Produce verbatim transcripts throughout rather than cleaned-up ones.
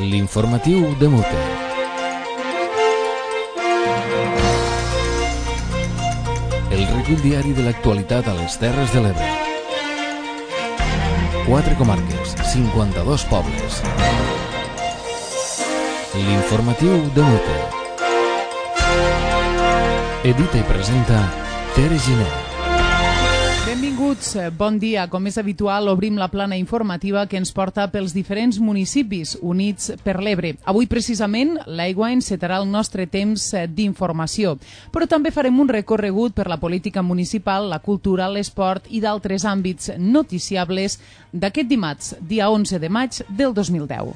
L'informatiu de Mute. El recull diari de l'actualitat a les Terres de l'Ebre. Quatre comarques, cinquanta-dos pobles. L'informatiu de Mute. Edita i presenta Tere Giner. Benvinguts, bon dia. Com és habitual, obrim la plana informativa que ens porta pels diferents municipis units per l'Ebre. Avui, precisament, l'aigua encetarà el nostre temps d'informació. Però també farem un recorregut per la política municipal, la cultura, l'esport i d'altres àmbits noticiables d'aquest dimarts, dia onze de maig del dos mil deu.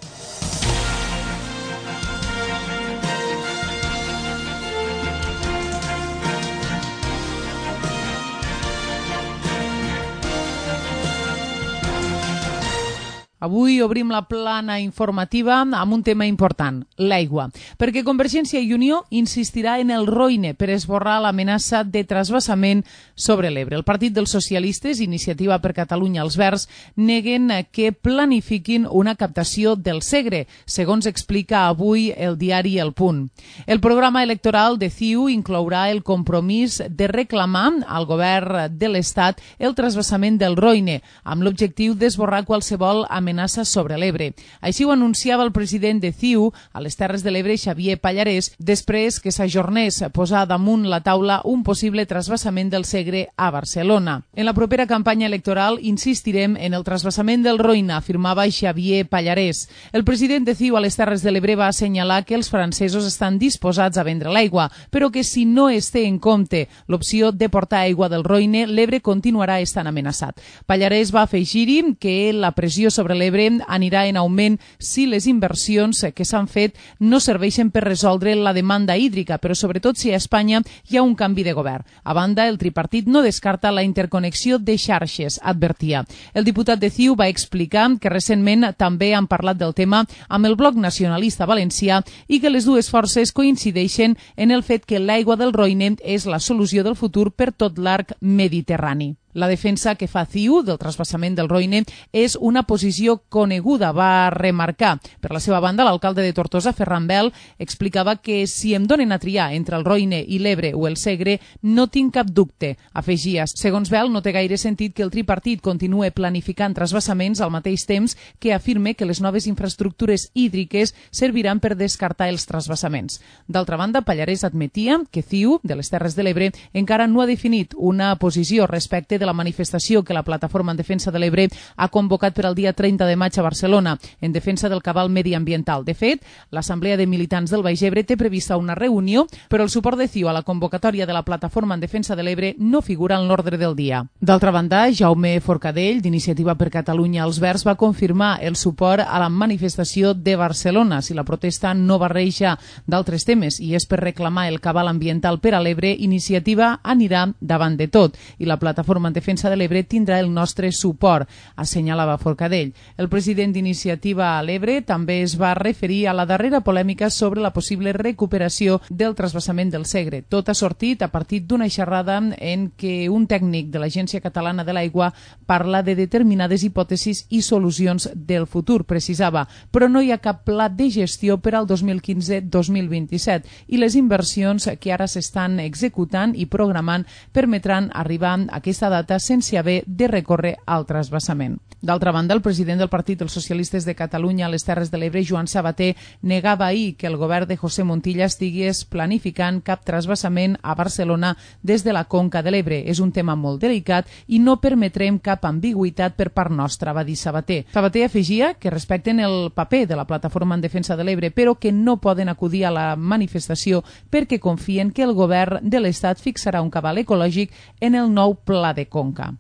Avui obrim la plana informativa amb un tema important, l'aigua, perquè Convergència i Unió insistirà en el Roine per esborrar l'amenaça de trasbassament sobre l'Ebre. El Partit dels Socialistes, Iniciativa per Catalunya, els Verds, neguen que planifiquin una captació del Segre, segons explica avui el diari El Punt. El programa electoral de C I U inclourà el compromís de reclamar al govern de l'Estat el trasbassament del Roine, amb l'objectiu d'esborrar qualsevol amenaça amenaça sobre l'Ebre. Així ho anunciava el president de C I U a les Terres de l'Ebre, Xavier Pallarès, després que s'ajornés a posar damunt la taula un possible trasbassament del Segre a Barcelona. En la propera campanya electoral insistirem en el trasbassament del Roine, afirmava Xavier Pallarès. El president de C I U a les Terres de l'Ebre va assenyalar que els francesos estan disposats a vendre l'aigua, però que si no es té en compte l'opció de portar aigua del Roine, l'Ebre continuarà estant amenaçat. Pallarès va afegir-hi que la pressió sobre l'Ebre anirà en augment si les inversions que s'han fet no serveixen per resoldre la demanda hídrica, però sobretot si a Espanya hi ha un canvi de govern. A banda, el tripartit no descarta la interconnexió de xarxes, advertia. El diputat de C I U va explicar que recentment també han parlat del tema amb el Bloc Nacionalista Valencià i que les dues forces coincideixen en el fet que l'aigua del Roine és la solució del futur per tot l'arc mediterrani. La defensa que fa C I U del trasbassament del Roine és una posició coneguda, va remarcar. Per la seva banda, l'alcalde de Tortosa, Ferran Bel, explicava que si em donen a triar entre el Roine i l'Ebre o el Segre, no tinc cap dubte. Afegia, segons Bel, no té gaire sentit que el tripartit continue planificant trasbassaments al mateix temps que afirme que les noves infraestructures hídriques serviran per descartar els trasbassaments. D'altra banda, Pallarès admetia que C I U de les Terres de l'Ebre encara no ha definit una posició respecte de la manifestació que la Plataforma en Defensa de l'Ebre ha convocat per al dia trenta de maig a Barcelona en defensa del cabal mediambiental. De fet, l'Assemblea de Militants del Baix Ebre té prevista una reunió, però el suport de C I U a la convocatòria de la Plataforma en Defensa de l'Ebre no figura en l'ordre del dia. D'altra banda, Jaume Forcadell, d'Iniciativa per Catalunya, els Verds, va confirmar el suport a la manifestació de Barcelona. Si la protesta no barreja d'altres temes i és per reclamar el cabal ambiental per a l'Ebre, Iniciativa anirà davant de tot i la Plataforma en Defensa de l'Ebre tindrà el nostre suport, assenyalava Forcadell. El president d'Iniciativa a l'Ebre també es va referir a la darrera polèmica sobre la possible recuperació del trasbassament del Segre. Tot ha sortit a partir d'una xerrada en què un tècnic de l'Agència Catalana de l'Aigua parla de determinades hipòtesis i solucions del futur, precisava, però no hi ha cap pla de gestió per al dos mil quinze dos mil vint-i-set i les inversions que ara s'estan executant i programant permetran arribar a aquesta data sense haver de recórrer al trasbassament. D'altra banda, el president del Partit dels Socialistes de Catalunya a les Terres de l'Ebre, Joan Sabater, negava ahir que el govern de José Montilla estigués planificant cap trasbassament a Barcelona des de la conca de l'Ebre. És un tema molt delicat i no permetrem cap ambigüitat per part nostra, va dir Sabater. Sabater afegia que respecten el paper de la Plataforma en Defensa de l'Ebre, però que no poden acudir a la manifestació perquè confien que el govern de l'Estat fixarà un cabal ecològic en el nou pla de conca.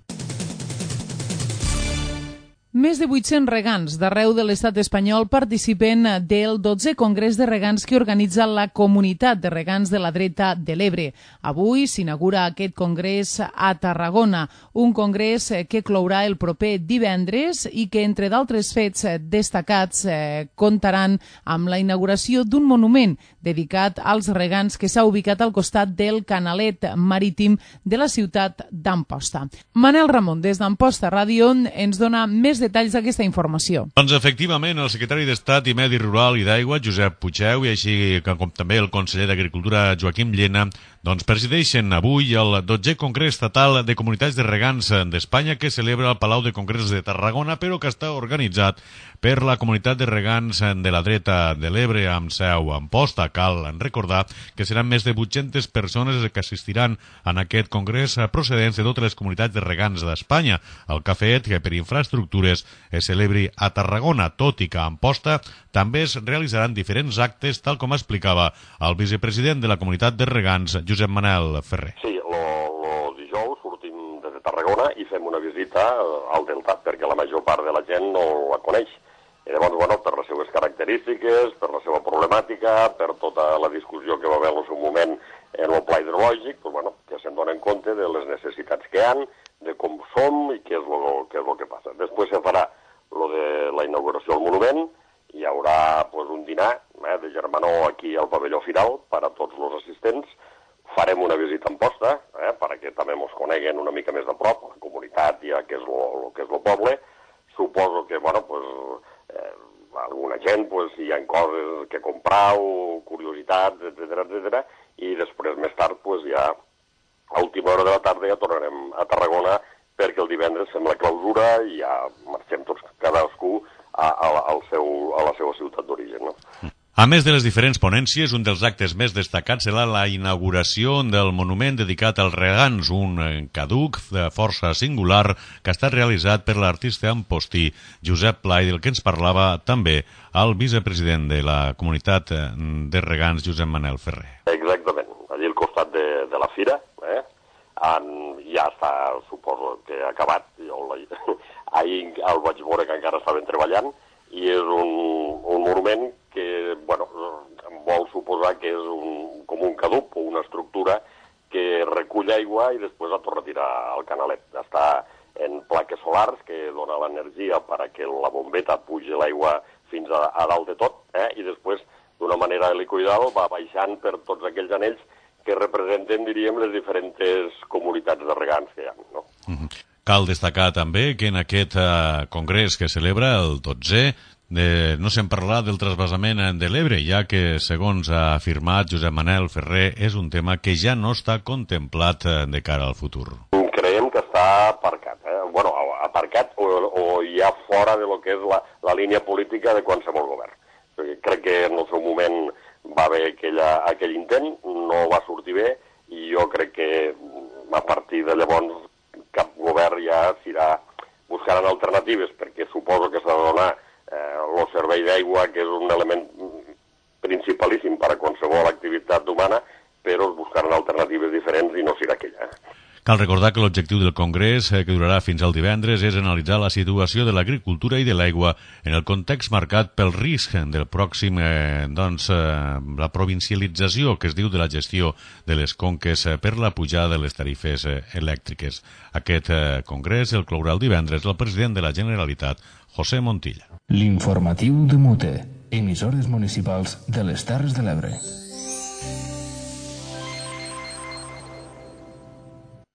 Més de vuit-cents regants d'arreu de l'estat espanyol participen del dotzè Congrés de Regants que organitza la Comunitat de Regants de la Dreta de l'Ebre. Avui s'inaugura aquest congrés a Tarragona, un congrés que clourà el proper divendres i que, entre d'altres fets destacats, eh, comptaran amb la inauguració d'un monument dedicat als regants que s'ha ubicat al costat del canalet marítim de la ciutat d'Amposta. Manel Ramon, des d'Amposta Ràdio, ens dona més detalls d'aquesta informació. Doncs efectivament, el secretari d'Estat i Medi Rural i d'Aigua, Josep Puigdeu, i així com també el conseller d'Agricultura, Joaquim Llena, doncs presideixen avui el dotzè Congrés Estatal de Comunitats de Regants d'Espanya que celebra al Palau de Congressos de Tarragona, però que està organitzat per la Comunitat de Regants de la Dreta de l'Ebre amb seu a Amposta. Cal recordar que seran més de vuit-centes persones que assistiran en aquest congrés procedents de totes les comunitats de regants d'Espanya, el que ha fet que per infraestructures es celebri a Tarragona, tot i que a Amposta també es realitzaran diferents actes, tal com explicava el vicepresident de la Comunitat de Regants, Josep Manel Ferrer. Sí, el dijous sortim des de Tarragona i fem una visita al Delta, perquè la major part de la gent no la coneix. I llavors, bueno, per les seves característiques, per la seva problemàtica, per tota la discussió que va haver en el seu moment en el pla hidrològic, doncs, bueno, que se'n donen compte de les necessitats que hi ha, de com som i què és el que, és lo que passa. Després se farà lo de la inauguració del monument, hi haurà pues, un dinar eh, de germanor aquí al pavelló final per a tots els assistents. Farem una visita en Amposta, eh, perquè també ens coneguen una mica més de prop, la comunitat i el que és el que és el poble. Suposo que, bueno, pues, eh, alguna gent, pues, hi ha coses que comprar o curiositats, etcètera, etcètera, i després, més tard, pues, ja a última hora de la tarda ja tornarem a Tarragona perquè el divendres fem la clausura i ja marxem tots, cadascú, a, a, al seu, a la seva ciutat d'origen, no? A més de les diferents ponències, un dels actes més destacats serà la inauguració del monument dedicat als regants, un caduc de força singular que ha estat realitzat per l'artista ampostí Josep Pla, i del que ens parlava també el vicepresident de la Comunitat de Regants, Josep Manel Ferrer. Exactament, allí al costat de, de la fira, eh? En, ja està, suposo que ha acabat, jo ahir el vaig veure que encara estaven treballant, i és un, un monument que, bueno, vol suposar que és un, com un caduc o una estructura que recull aigua i després la torna a tirar al canalet. Està en plaques solars que dona l'energia perquè la bombeta pugi l'aigua fins a, a dalt de tot, eh? I després, d'una manera helicoidal, va baixant per tots aquells anells que representen, diríem, les diferents comunitats de regants que hi ha, no? Mm-hmm. Cal destacar també que en aquest uh, congrés que celebra el dotzè de, no se'n parlarà del trasbassament de l'Ebre, ja que, segons ha afirmat Josep Manel Ferrer, és un tema que ja no està contemplat uh, de cara al futur. Creiem que està aparcat, eh? Bueno, aparcat o, o ja fora de lo que és la, la línia política de qualsevol govern. Perquè crec que en el seu moment va haver aquella, aquell intent, no va sortir bé, i jo crec que a partir de llavors cap govern ja s'irà buscant alternatives, perquè suposo que s'ha de donar eh, el servei d'aigua, que és un element principalíssim per a qualsevol activitat humana, però es buscaran alternatives diferents i no serà aquella. Cal recordar que l'objectiu del Congrés, eh, que durarà fins al divendres, és analitzar la situació de l'agricultura i de l'aigua en el context marcat pel risc del pròxim, eh, doncs, eh, la provincialització que es diu de la gestió de les conques eh, per la pujada de les tarifes eh, elèctriques. Aquest eh, Congrés el clourà el divendres el president de la Generalitat, José Montilla. L'informatiu de Mute, emissores municipals de les Terres de l'Ebre.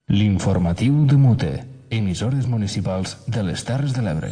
L'informatiu de Mute, emissores municipals de les Terres de l'Ebre.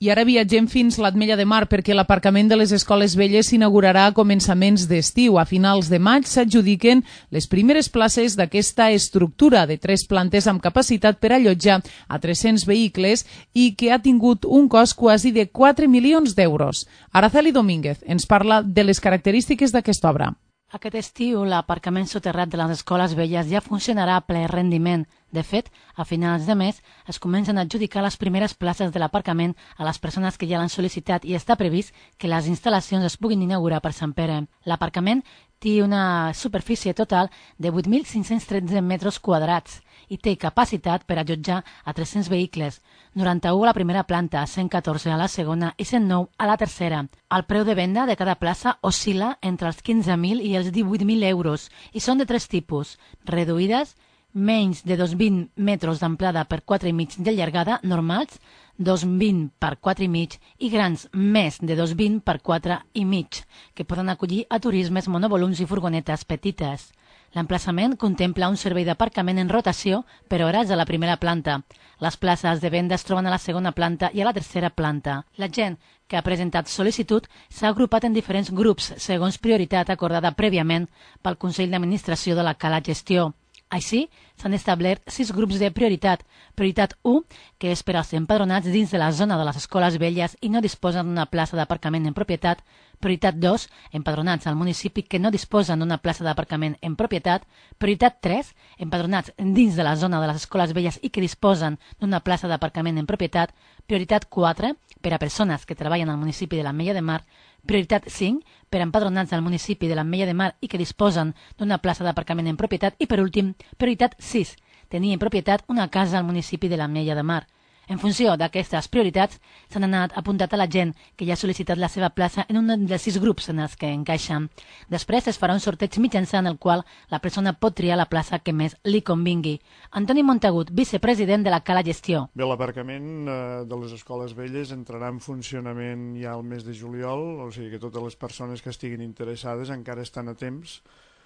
I ara viatgem fins l'Ametlla de Mar perquè l'aparcament de les escoles velles s'inaugurarà a començaments d'estiu. A finals de maig s'adjudiquen les primeres places d'aquesta estructura de tres plantes amb capacitat per allotjar a tres-cents vehicles i que ha tingut un cost quasi de quatre milions d'euros. Araceli Domínguez ens parla de les característiques d'aquesta obra. Aquest estiu, l'aparcament soterrat de les escoles velles ja funcionarà a ple rendiment. De fet, a finals de mes es comencen a adjudicar les primeres places de l'aparcament a les persones que ja l'han sol·licitat i està previst que les instal·lacions es puguin inaugurar per Sant Pere. L'aparcament té una superfície total de vuit mil cinc-cents tretze metres quadrats i té capacitat per allotjar a tres-cents vehicles, noranta-u a la primera planta, cent catorze a la segona i cent nou a la tercera. El preu de venda de cada plaça oscil·la entre els quinze mil i els divuit mil euros i són de tres tipus: reduïdes, menys de dos cents vint metres d'amplada per quatre i mig de llargada, normals, dos cents vint per quatre i mig i grans més de dos cents vint per quatre i mig, que poden acollir a turismes, monovolums i furgonetes petites. L'emplaçament contempla un servei d'aparcament en rotació per hores a la primera planta. Les places de venda es troben a la segona planta i a la tercera planta. La gent que ha presentat sol·licitud s'ha agrupat en diferents grups segons prioritat acordada prèviament pel Consell d'Administració de la Cala Gestió. Així, s'han establert sis grups de prioritat. Prioritat u, que és per als empadronats dins de la zona de les escoles velles i no disposen d'una plaça d'aparcament en propietat. Prioritat dos, empadronats al municipi que no disposen d'una plaça d'aparcament en propietat. Prioritat tres, empadronats dins de la zona de les escoles velles i que disposen d'una plaça d'aparcament en propietat. Prioritat quatre, per a persones que treballen al municipi de l'Ametlla de Mar. Prioritat cinc, per a empadronats al municipi de l'Ametlla de Mar i que disposen d'una plaça d'aparcament en propietat. I per últim, prioritat sis, tenir en propietat una casa al municipi de l'Ametlla de Mar. En funció d'aquestes prioritats, s'han anat apuntat a la gent que ja ha sol·licitat la seva plaça en un dels sis grups en els que encaixen. Després es farà un sorteig mitjançant el qual la persona pot triar la plaça que més li convingui. Antoni Montagut, vicepresident de la Cala Gestió. Bé, l'aparcament eh, de les escoles velles entrarà en funcionament ja al mes de juliol, o sigui que totes les persones que estiguin interessades encara estan a temps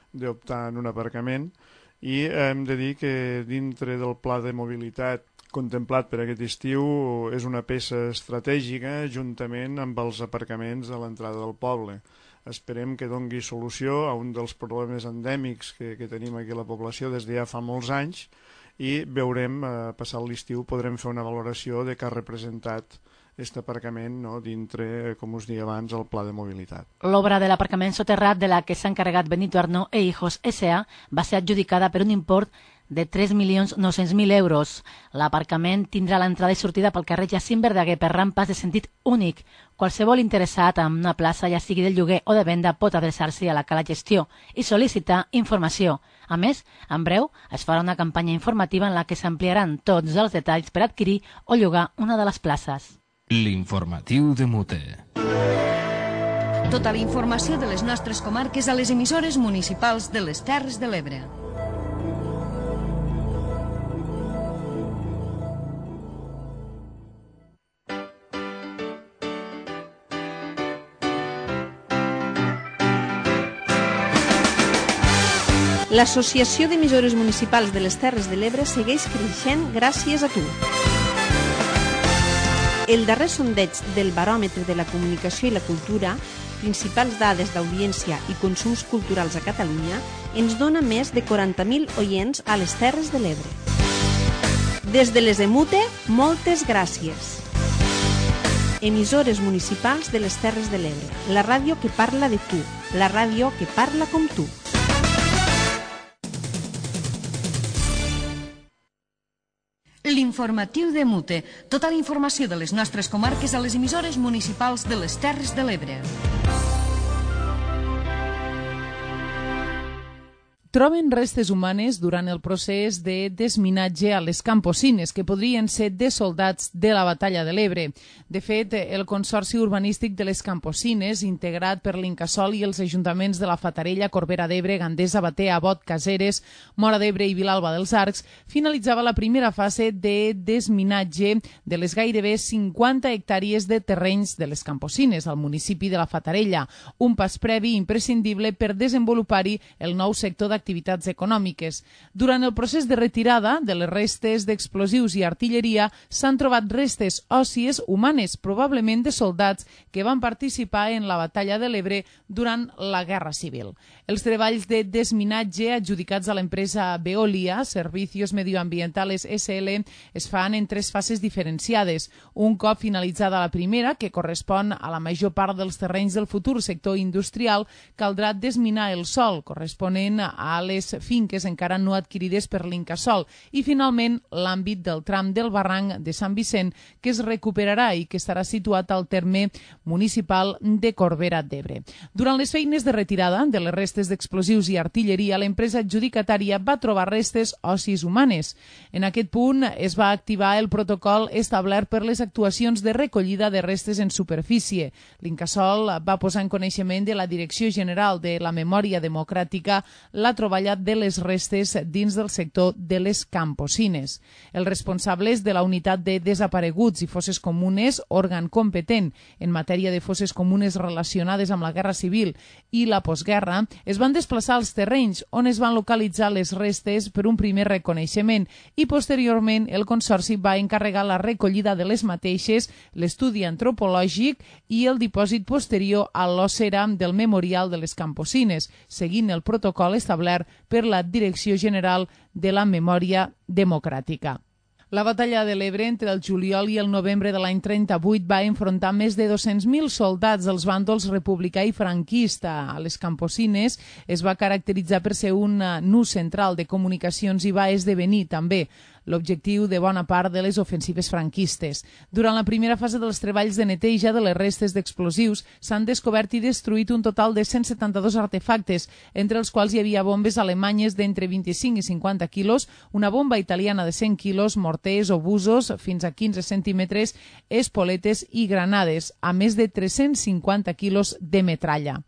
d'optar en un aparcament, i hem de dir que dintre del pla de mobilitat contemplat per aquest estiu és una peça estratègica juntament amb els aparcaments de l'entrada del poble. Esperem que dongui solució a un dels problemes endèmics que, que tenim aquí a la població des de ja fa molts anys, i veurem, eh, passat l'estiu, podrem fer una valoració de què ha representat aquest aparcament, no, dintre, com us deia abans, el pla de mobilitat. L'obra de l'aparcament soterrat de la que s'ha encarregat Benito Arnó e Hijos S A va ser adjudicada per un import de tres milions nou-cents mil euros. L'aparcament tindrà l'entrada i sortida pel carrer Jacint Verdaguer per rampes de sentit únic. Qualsevol interessat en una plaça, ja sigui de lloguer o de venda, pot adreçar-se a la Cala Gestió i sol·licitar informació. A més, en breu es farà una campanya informativa en la que s'ampliaran tots els detalls per adquirir o llogar una de les places. L'informatiu de Mute. Tota la informació de les nostres comarques a les emissores municipals de les Terres de l'Ebre. L'Associació d'Emissores Municipals de les Terres de l'Ebre segueix creixent gràcies a tu. El darrer sondeig del Baròmetre de la Comunicació i la Cultura, principals dades d'audiència i consums culturals a Catalunya, ens dona més de quaranta mil oients a les Terres de l'Ebre. Des de les Emute, moltes gràcies. Emissores municipals de les Terres de l'Ebre, la ràdio que parla de tu, la ràdio que parla com tu. L'informatiu de Mute. Tota la informació de les nostres comarques a les emissores municipals de les Terres de l'Ebre. Troben restes humanes durant el procés de desminatge a les Camposines, que podrien ser de soldats de la Batalla de l'Ebre. De fet, el Consorci Urbanístic de les Camposines, integrat per l'Incasòl i els ajuntaments de la Fatarella, Corbera d'Ebre, Gandesa, Batea, Bot, Caseres, Móra d'Ebre i Vilalba dels Arcs, finalitzava la primera fase de desminatge de les gairebé cinquanta hectàrees de terrenys de les Camposines, al municipi de la Fatarella, un pas previ imprescindible per desenvolupar-hi el nou sector d'activitats activitats econòmiques. Durant el procés de retirada de les restes d'explosius i artilleria s'han trobat restes òssies humanes, probablement de soldats que van participar en la Batalla de l'Ebre durant la Guerra Civil. Els treballs de desminatge adjudicats a l'empresa Veolia, Servicios Medioambientales S L, es fan en tres fases diferenciades. Un cop finalitzada la primera, que correspon a la major part dels terrenys del futur sector industrial, caldrà desminar el sòl, corresponent a a les finques encara no adquirides per l'Incasòl, i finalment l'àmbit del tram del barranc de Sant Vicent, que es recuperarà i que estarà situat al terme municipal de Corbera d'Ebre. Durant les feines de retirada de les restes d'explosius i artilleria, l'empresa adjudicatària va trobar restes òssis humanes. En aquest punt es va activar el protocol establert per les actuacions de recollida de restes en superfície. L'Incasòl va posar en coneixement de la Direcció General de la Memòria Democràtica la troballa de les restes dins del sector de les Camposines. Els responsables de la unitat de desapareguts i fosses comunes, òrgan competent en matèria de fosses comunes relacionades amb la Guerra Civil i la postguerra, es van desplaçar als terrenys on es van localitzar les restes per un primer reconeixement i posteriorment el Consorci va encarregar la recollida de les mateixes, l'estudi antropològic i el dipòsit posterior a l'ossera del Memorial de les Camposines, seguint el protocol establert per la Direcció General de la Memòria Democràtica. La batalla de l'Ebre entre el juliol i el novembre de l'any trenta-vuit va enfrontar més de dos-cents mil soldats dels bàndols republicà i franquista. A les Camposines es va caracteritzar per ser un nus central de comunicacions i va esdevenir també l'objectiu de bona part de les ofensives franquistes. Durant la primera fase dels treballs de neteja de les restes d'explosius s'han descobert i destruït un total de cent setanta-dos artefactes, entre els quals hi havia bombes alemanyes d'entre vint-i-cinc i cinquanta quilos, una bomba italiana de cent quilos, morters, obusos fins a quinze centímetres, espoletes i granades, a més de tres-cents cinquanta quilos de metralla.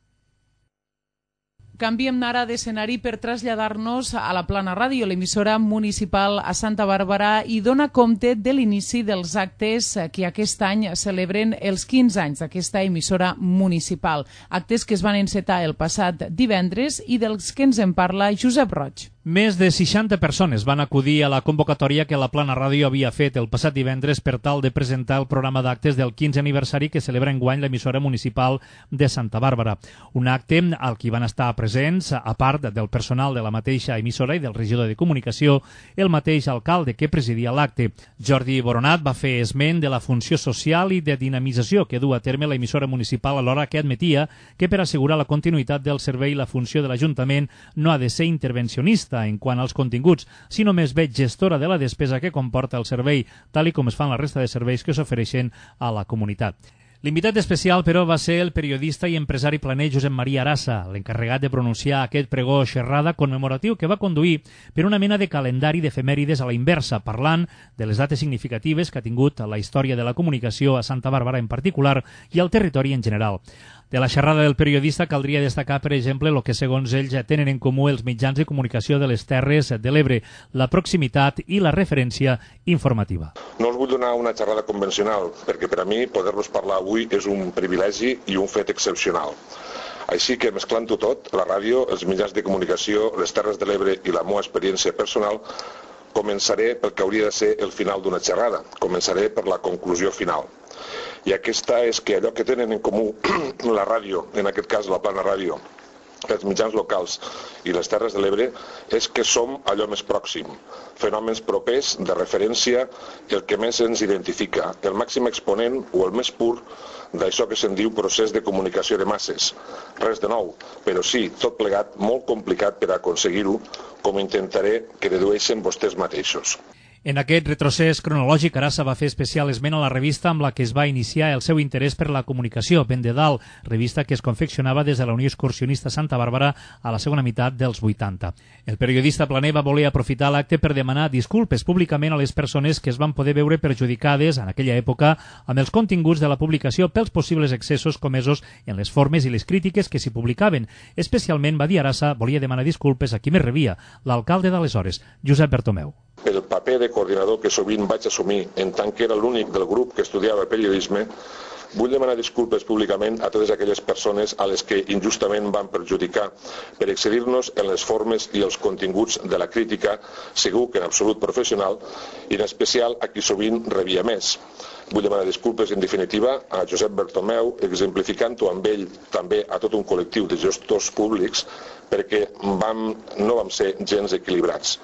Canviem ara d'escenari per traslladar-nos a la Plana Ràdio, l'emissora municipal a Santa Bàrbara, i dona compte de l'inici dels actes que aquest any celebren els quinze anys d'aquesta emissora municipal. Actes que es van encetar el passat divendres i dels que ens en parla Josep Roig. Més de seixanta persones van acudir a la convocatòria que la Plana Ràdio havia fet el passat divendres per tal de presentar el programa d'actes del quinze aniversari que celebra enguany l'emissora municipal de Santa Bàrbara. Un acte al que van estar presents, a part del personal de la mateixa emissora i del regidor de comunicació, el mateix alcalde que presidia l'acte. Jordi Boronat va fer esment de la funció social i de dinamització que du a terme l'emissora municipal, alhora que admetia que per assegurar la continuïtat del servei la funció de l'Ajuntament no ha de ser intervencionista en quant als continguts, sinó més bé gestora de la despesa que comporta el servei, tal i com es fan la resta de serveis que s'ofereixen a la comunitat. L'invitat especial, però, va ser el periodista i empresari planer Josep Maria Arassa, l'encarregat de pronunciar aquest pregó xerrada commemoratiu que va conduir per una mena de calendari d'efemèrides a la inversa, parlant de les dates significatives que ha tingut la història de la comunicació a Santa Bàrbara en particular i al territori en general. De la xerrada del periodista caldria destacar, per exemple, el que segons ell ja tenen en comú els mitjans de comunicació de les Terres de l'Ebre, la proximitat i la referència informativa. No us vull donar una xerrada convencional, perquè per a mi poder-los parlar avui és un privilegi i un fet excepcional. Així que, mesclant-ho tot, la ràdio, els mitjans de comunicació, les Terres de l'Ebre i la meva experiència personal, començaré pel que hauria de ser el final d'una xerrada. Començaré per la conclusió final. I aquesta és que allò que tenen en comú la ràdio, en aquest cas la Plana Ràdio, els mitjans locals i les Terres de l'Ebre, és que som allò més pròxim, fenòmens propers de referència, el que més ens identifica, el màxim exponent o el més pur d'això que se'n diu procés de comunicació de masses. Res de nou, però sí, tot plegat, molt complicat per aconseguir-ho, com intentaré que dedueixen vostès mateixos. En aquest retrocés cronològic, Arassa va fer especial esment a la revista amb la que es va iniciar el seu interès per la comunicació, Ben de Dalt, revista que es confeccionava des de la Unió Excursionista Santa Bàrbara a la segona meitat dels vuitanta. El periodista planer va voler aprofitar l'acte per demanar disculpes públicament a les persones que es van poder veure perjudicades en aquella època amb els continguts de la publicació pels possibles excessos comesos en les formes i les crítiques que s'hi publicaven. Especialment, va dir Arassa, volia demanar disculpes a qui més rebia, l'alcalde d'aleshores, Josep Bertomeu. El paper de coordinador que sovint vaig assumir en tant que era l'únic del grup que estudiava periodisme, vull demanar disculpes públicament a totes aquelles persones a les que injustament van perjudicar per excedir-nos en les formes i els continguts de la crítica, segur que en absolut professional, i en especial a qui sovint rebia més. Vull demanar disculpes, en definitiva, a Josep Bertomeu, exemplificant-ho amb ell també a tot un col·lectiu de gestors públics, perquè vam, no vam ser gens equilibrats.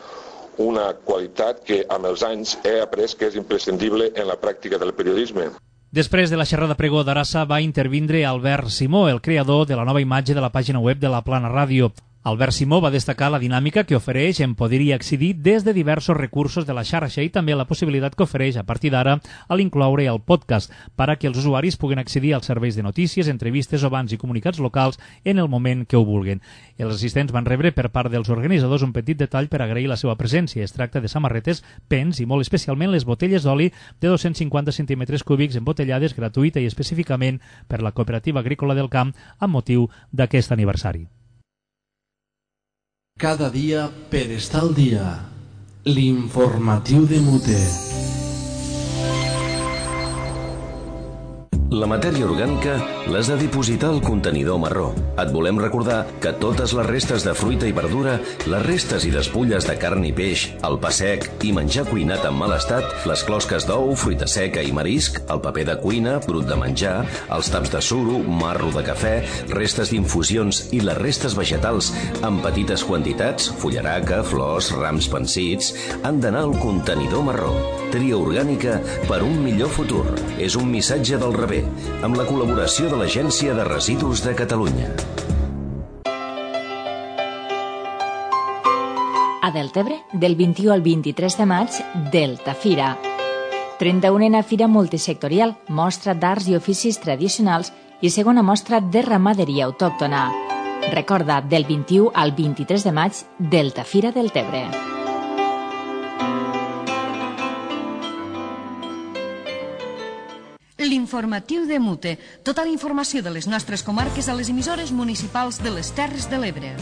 Una qualitat que amb els anys he après que és imprescindible en la pràctica del periodisme. Després de la xerrada pregó d'Arassa va intervindre Albert Simó, el creador de la nova imatge de la pàgina web de la Plana Ràdio. Albert Simó va destacar la dinàmica que ofereix en poder-hi accedir des de diversos recursos de la xarxa i també la possibilitat que ofereix a partir d'ara a l'incloure el podcast per a que els usuaris puguen accedir als serveis de notícies, entrevistes o bans i comunicats locals en el moment que ho vulguin. Els assistents van rebre per part dels organitzadors un petit detall per agrair la seva presència. Es tracta de samarretes, pens i molt especialment les botelles d'oli de dos-cents cinquanta centímetres cúbics embotellades gratuïta i específicament per la Cooperativa Agrícola del Camp amb motiu d'aquest aniversari. Cada dia per estar al dia. L'informatiu de Mute. La matèria orgànica l'has de dipositar al contenidor marró. Et volem recordar que totes les restes de fruita i verdura, les restes i despulles de carn i peix, el pa sec i menjar cuinat en mal estat, les closques d'ou, fruita seca i marisc, el paper de cuina, brut de menjar, els taps de suro, marro de cafè, restes d'infusions i les restes vegetals en petites quantitats, fullaraca, flors, rams pansits, han d'anar al contenidor marró. Tria orgànica per un millor futur. És un missatge del rebé, amb la col·laboració de l'Agència de Residus de Catalunya. A Deltebre, del vint-i-u al vint-i-tres de maig, Deltafira. trenta-unena Fira Multisectorial, mostra d'arts i oficis tradicionals i segona mostra de ramaderia autòctona. Recorda, del vint-i-u al vint-i-tres de maig, Deltafira Deltebre. L'informatiu de Mute. Tota la informació de les nostres comarques a les emissores municipals de les Terres de l'Ebre.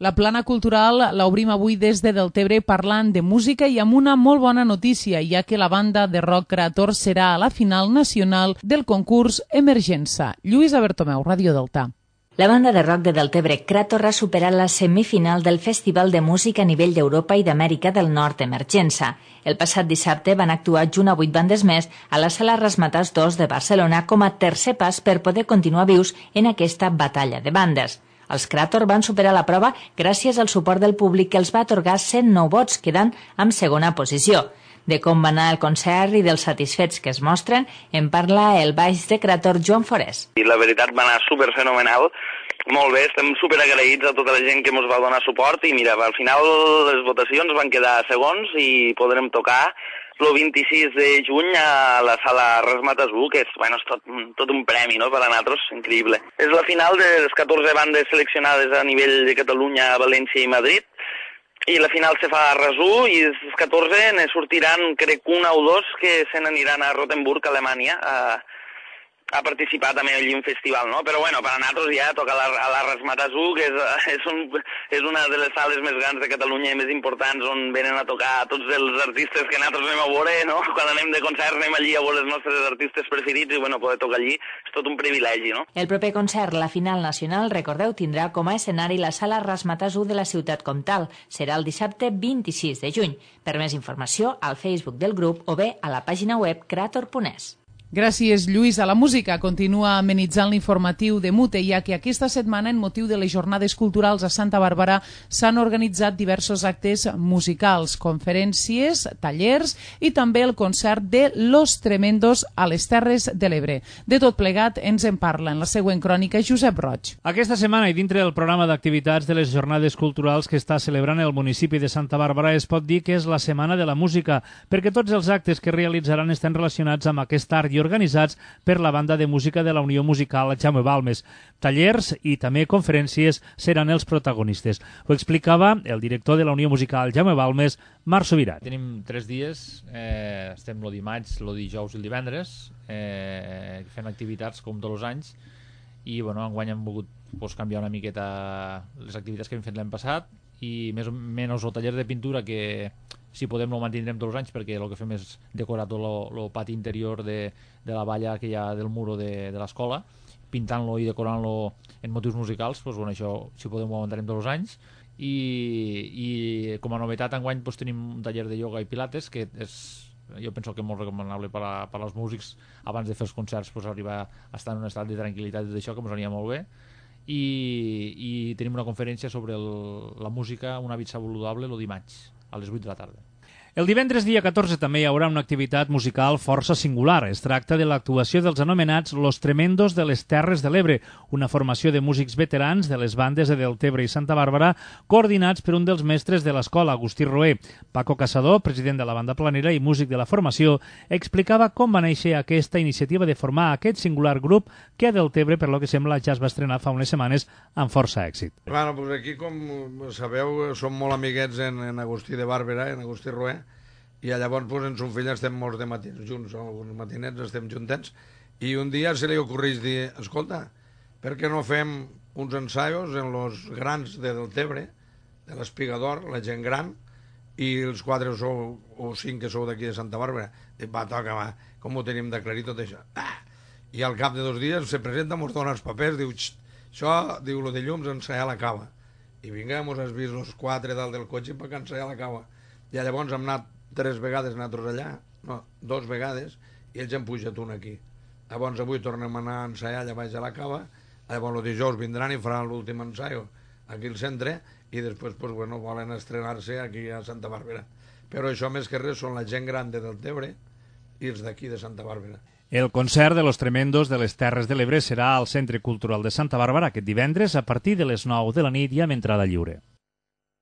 La plana cultural l'obrim avui des de Deltebre parlant de música i amb una molt bona notícia, ja que la banda de rock Creator serà a la final nacional del concurs Emergença. Lluïsa Bertomeu, Ràdio Delta. La banda de rock de Deltebre, Creator, ha superat la semifinal del Festival de Música a nivell d'Europa i d'Amèrica del Nord Emergença. El passat dissabte van actuar junt a vuit bandes més a la Sala Razzmatazz dos de Barcelona com a tercer pas per poder continuar vius en aquesta batalla de bandes. Els Creator van superar la prova gràcies al suport del públic que els va atorgar cent nou vots, quedant en segona posició. De com va anar el concert i dels satisfets que es mostren, en parla el baix de Creator, Joan Forés. I la veritat va anar superfenomenal, molt bé, estem superagraïts a tota la gent que ens va donar suport i mira, al final les votacions van quedar segons i podrem tocar el vint-i-sis de juny a la Sala Razzmatazz u, que és, bueno, és tot, tot un premi, no?, per a nosaltres, increïble. És la final de les catorze bandes seleccionades a nivell de Catalunya, València i Madrid, i la final se fa a Resú i els catorze ne sortiran, crec, una o dos que se n'aniran a Rothenburg, Alemanya, a, a participar també allí en un festival, no? Però bueno, per a nosaltres ja toca la, a la Razzmatazz u, que és, és, un, és una de les sales més grans de Catalunya i més importants on venen a tocar tots els artistes que nosaltres anem a veure, no? Quan anem de concert anem allí a veure els nostres artistes preferits i bueno, poder tocar allí és tot un privilegi, no? El proper concert, la final nacional, recordeu, tindrà com a escenari la Sala Razzmatazz u de la ciutat comtal. Serà el dissabte vint-i-sis de juny. Per més informació, al Facebook del grup o bé a la pàgina web creator punt es. Gràcies, Lluís. A la música continua amenitzant l'informatiu de Mute, ja que aquesta setmana, en motiu de les jornades culturals a Santa Bàrbara, s'han organitzat diversos actes musicals, conferències, tallers i també el concert de Los Tremendos a les Terres de l'Ebre. De tot plegat ens en parla en la següent crònica Josep Roig. Aquesta setmana i dintre del programa d'activitats de les jornades culturals que està celebrant el municipi de Santa Bàrbara es pot dir que és la Setmana de la Música, perquè tots els actes que realitzaran estan relacionats amb aquest art i organitzats per la banda de música de la Unió Musical Jaume Balmes. Tallers i també conferències seran els protagonistes. Ho explicava el director de la Unió Musical Jaume Balmes, Marc Subirat. Tenim tres dies, eh, estem el dimarts, el dijous i el divendres, eh, fent activitats com tots els anys i bueno, enguany hem volgut pues, canviar una miqueta les activitats que hem fet l'any passat i més o menys el taller de pintura que si podem no ho mantindrem tots els anys perquè el que fem és decorar tot el pati interior de, de la valla que hi ha del muro de, de l'escola, pintant-lo i decorant-lo en motius musicals, doncs, bueno, això si podem ho mantindrem tots els anys i, i com a novetat enguany doncs, tenim un taller de ioga i pilates que és, jo penso que és molt recomanable per, a, per als músics abans de fer els concerts doncs, arribar a estar en un estat de tranquil·litat i d'això que ens aniria molt bé i, i tenim una conferència sobre el, la música, un hàbit saludable el dimarts a les vuit de la tarda. El divendres dia catorze també hi haurà una activitat musical força singular. Es tracta de l'actuació dels anomenats Los Tremendos de les Terres de l'Ebre, una formació de músics veterans de les bandes de Deltebre i Santa Bàrbara, coordinats per un dels mestres de l'escola, Agustí Roé. Paco Caçador, president de la banda planera i músic de la formació, explicava com va néixer aquesta iniciativa de formar aquest singular grup que a Deltebre, per lo que sembla, ja es va estrenar fa unes setmanes amb força èxit. Bueno, pues aquí, com sabeu, som molt amiguets en, en Agustí de Bàrbara, en Agustí Roé, i llavors pues, en son fill estem molts de matins junts, alguns matinets estem juntets, i un dia se li ocorreix dir, escolta, per què no fem uns ensaios en els grans de Deltebre, de l'Espigador, la gent gran, i els quatre sou, o cinc que sou d'aquí de Santa Bàrbara. Dic, va, toca, va, com ho tenim d'aclarir tot això? Ah! I al cap de dos dies se presenta, mos dona els papers, diu, això, diu, lo de llums, ensaiar la cava. I vinga, mos has vist els quatre dalt del cotxe perquè ensaiar la cava. I llavors hem anat tres vegades nosaltres allà, no, dos vegades, i ells han pujat un aquí. Llavors avui tornem a anar a ensaiar allà baix a la cava, llavors el dijous vindran i faran l'últim ensaio aquí al centre, i després pues, bueno, volen estrenar-se aquí a Santa Bàrbara. Però això més que res són la gent gran de Deltebre i els d'aquí de Santa Bàrbara. El concert de Los Tremendos de les Terres de l'Ebre serà al Centre Cultural de Santa Bàrbara aquest divendres a partir de les nou de la nit i amb entrada lliure.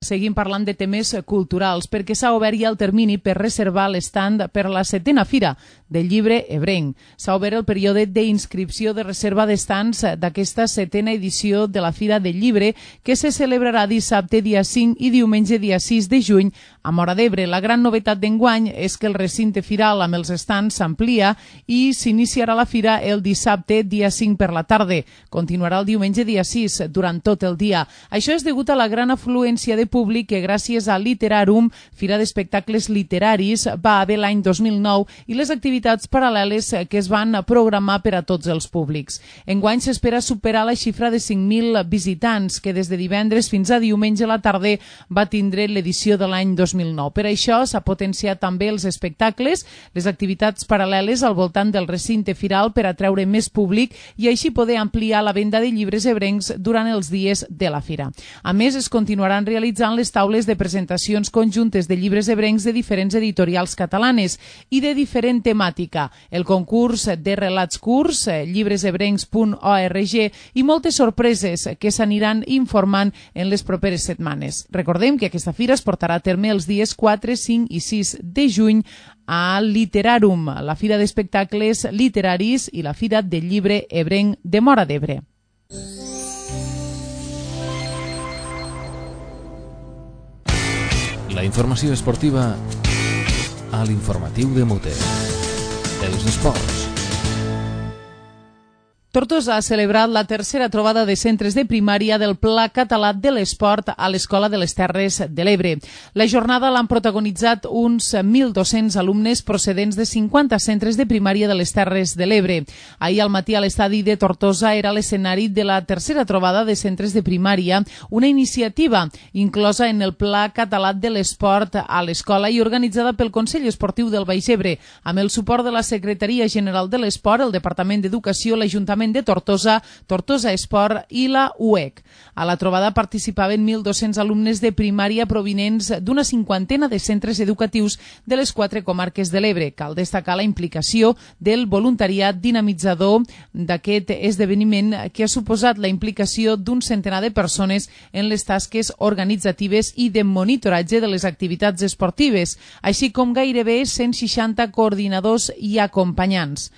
Seguim parlant de temes culturals perquè s'ha obert ja el termini per reservar l'estand per la setena fira del llibre ebrenc. S'ha obert el període d'inscripció de reserva d'estands d'aquesta setena edició de la Fira del Llibre que se celebrarà dissabte dia cinc i diumenge dia sis de juny a Móra d'Ebre. La gran novetat d'enguany és que el recinte firal amb els estands s'amplia i s'iniciarà la fira el dissabte dia cinc per la tarda. Continuarà el diumenge dia sis durant tot el dia. Això és degut a la gran afluència de públic que gràcies a Literarum, Fira d'Espectacles Literaris, va haver l'any dos mil nou i les activitats paral·leles que es van programar per a tots els públics. Enguany s'espera superar la xifra de cinc mil visitants que des de divendres fins a diumenge a la tarda va tindre l'edició de l'any dos mil nou. Per això s'ha potenciat també els espectacles, les activitats paral·leles al voltant del recinte firal per atreure més públic i així poder ampliar la venda de llibres ebrencs durant els dies de la fira. A més, es continuaran realitzant les taules de presentacions conjuntes de llibres ebrencs de diferents editorials catalanes i de diferent temàtica, el concurs de relats curts, llibresebrencs punt org i moltes sorpreses que s'aniran informant en les properes setmanes. Recordem que aquesta fira es portarà a terme els dies quatre, cinc i sis de juny a Literarum, la Fira d'Espectacles Literaris i la Fira del Llibre Ebrenc de Móra d'Ebre. La informació esportiva a l'informatiu de Mute. Els esports. Tortosa ha celebrat la tercera trobada de centres de primària del Pla Català de l'Esport a l'Escola de les Terres de l'Ebre. La jornada l'han protagonitzat uns mil dos-cents alumnes procedents de cinquanta centres de primària de les Terres de l'Ebre. Ahir al matí a l'estadi de Tortosa era l'escenari de la tercera trobada de centres de primària, una iniciativa inclosa en el Pla Català de l'Esport a l'escola i organitzada pel Consell Esportiu del Baix Ebre, amb el suport de la Secretaria General de l'Esport, el Departament d'Educació, l'Ajuntament de Tortosa, Tortosa Esport i la U E C. A la trobada participaven mil dos-cents alumnes de primària provinents d'una cinquantena de centres educatius de les quatre comarques de l'Ebre. Cal destacar la implicació del voluntariat dinamitzador d'aquest esdeveniment que ha suposat la implicació d'un centenar de persones en les tasques organitzatives i de monitoratge de les activitats esportives, així com gairebé cent seixanta coordinadors i acompanyants.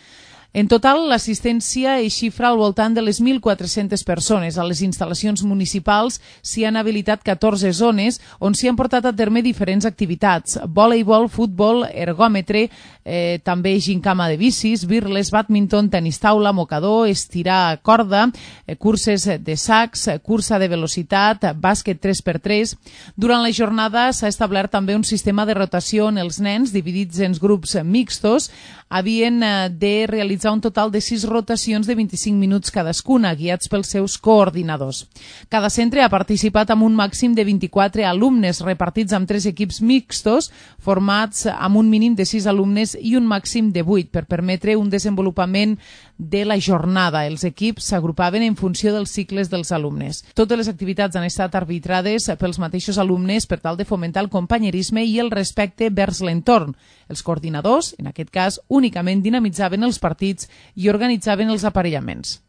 En total, l'assistència es xifra al voltant de les mil quatre-centes persones. A les instal·lacions municipals s'hi han habilitat catorze zones on s'hi han portat a terme diferents activitats. Voleibol, futbol, ergòmetre, eh, també gincama de bicis, birles, bàdminton, tenis taula, mocador, estirar corda, eh, curses de sacs, cursa de velocitat, bàsquet tres per tres. Durant la jornada s'ha establert també un sistema de rotació on els nens, dividits en grups mixtos, havien eh, de realitzar un total de sis rotacions de vint-i-cinc minuts cadascuna, guiats pels seus coordinadors. Cada centre ha participat amb un màxim de vint-i-quatre alumnes repartits amb tres equips mixtos formats amb un mínim de sis alumnes i un màxim de vuit per permetre un desenvolupament de la jornada. Els equips s'agrupaven en funció dels cicles dels alumnes. Totes les activitats han estat arbitrades pels mateixos alumnes per tal de fomentar el companyerisme i el respecte vers l'entorn. Els coordinadors, en aquest cas, únicament dinamitzaven els partits i organitzaven els aparellaments.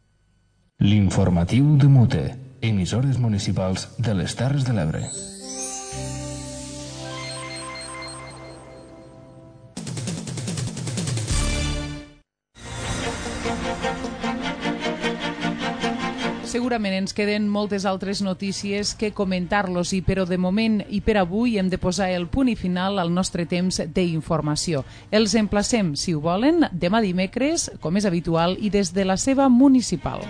L'informatiu de Mute, emissores municipals de les Terres de l'Ebre. Segurament ens queden moltes altres notícies que comentar-los, i però de moment i per avui hem de posar el punt i final al nostre temps d'informació. Els emplacem, si ho volen, demà dimecres, com és habitual, i des de la seva municipal.